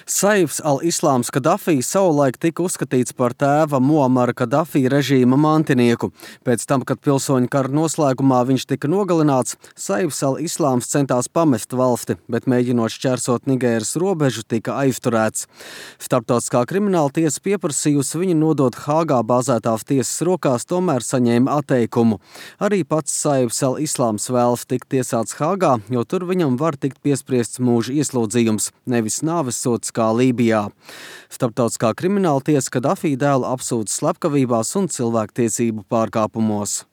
Saifs al-Islāms Kadafī savulaik tika uzskatīts par tēva Muamara Kadafī režīma mantinieku. Pēc tam, kad pilsoņu kara noslēgumā viņš tika nogalināts, Saifs al-Islāms centās pamest valsti, bet mēģinot šķērsot Nigēras robežu, tika aizturēts. Starptautiskā krimināla tiesa pieprasījusi viņu nodot Hāgā bāzētās tiesas rokās, tomēr saņēma atteikumu. Arī pats Saifs al-Islāms vēlas tikt tiesāts Hāgā, jo tur viņam var tikt piespriests mūža ieslodzījums, nevis nāvessods kā Lībijā. Starptautiskā krimināla tiesa Kadafī dēlu apsūdz slepkavībās un cilvēktiesību pārkāpumos.